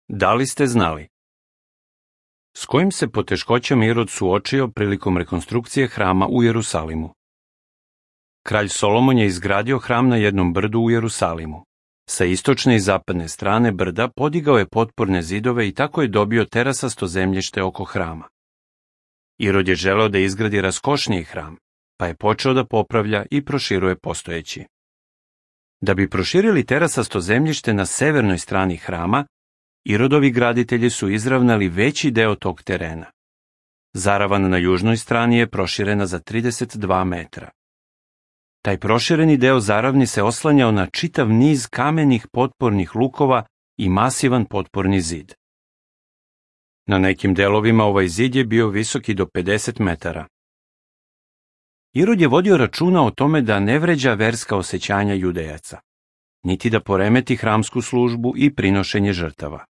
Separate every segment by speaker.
Speaker 1: Da li ste znali? S kojim se poteškoćama Irod suočio prilikom rekonstrukcije hrama u Jerusalimu? Kralj Solomon je izgradio hram na jednom brdu u Jerusalimu. Sa istočne i zapadne strane brda podigao je potporne zidove i tako je dobio terasasto zemljište oko hrama. Irod je želeo da izgradi raskošniji hram, pa je počeo da popravlja i proširuje postojeći. Da bi proširili terasasto zemljište na severnoj strani hrama, Irodovi graditelji su izravnali veći deo tog terena. Zaravan na južnoj strani je proširena za 32 metra. Taj prošireni deo zaravni se oslanjao na čitav niz kamenih potpornih lukova i masivan potporni zid. Na nekim delovima ovaj zid je bio visoki do 50 metara. Irod je vodio računa o tome da ne vređa verska osećanja Judejaca, niti da poremeti hramsku službu i prinošenje žrtava.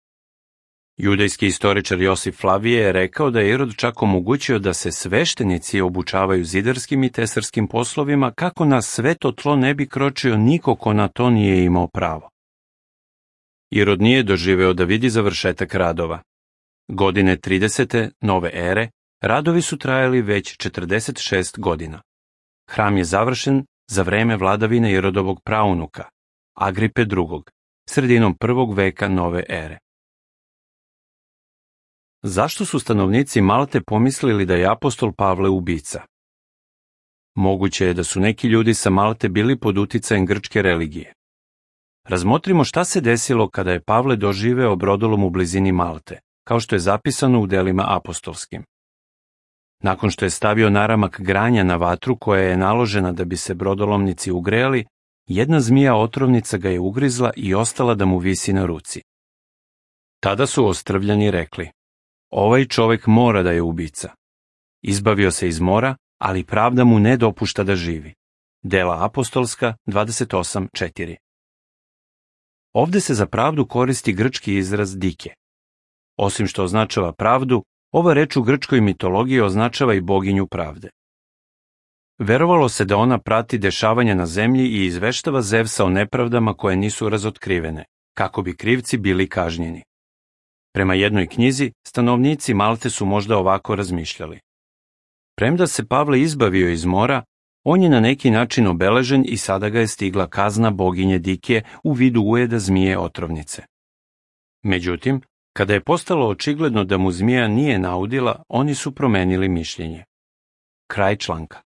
Speaker 1: Judejski istoričar Josif Flavije je rekao da je Irod čak omogućio da se sveštenici obučavaju zidarskim i tesarskim poslovima kako na sveto tlo ne bi kročio niko ko na to nije imao pravo. Irod nije doživeo da vidi završetak radova. Godine 30. nove ere radovi su trajali već 46 godina. Hram je završen za vreme vladavine Irodovog praunuka, Agripe II, sredinom 1. veka nove ere. Zašto su stanovnici Malte pomislili da je apostol Pavle ubica? Moguće je da su neki ljudi sa Malte bili pod uticajem grčke religije. Razmotrimo šta se desilo kada je Pavle doživeo brodolom u blizini Malte, kao što je zapisano u delima apostolskim. Nakon što je stavio naramak granja na vatru koja je naložena da bi se brodolomnici ugrejali, jedna zmija otrovnica ga je ugrizla i ostala da mu visi na ruci. Tada su ostrvljani rekli: ovaj čovek mora da je ubica. Izbavio se iz mora, ali pravda mu ne dopušta da živi. Dela apostolska 28:4. Ovde se za pravdu koristi grčki izraz dike. Osim što označava pravdu, ova reč u grčkoj mitologiji označava i boginju pravde. Verovalo se da ona prati dešavanja na zemlji i izveštava Zevsa o nepravdama koje nisu razotkrivene, kako bi krivci bili kažnjeni. Prema jednoj knjizi, stanovnici Malte su možda ovako razmišljali: premda se Pavle izbavio iz mora, on je na neki način obeležen i sada ga je stigla kazna boginje Dike u vidu ujeda zmije otrovnice. Međutim, kada je postalo očigledno da mu zmija nije naudila, oni su promenili mišljenje. Kraj članka.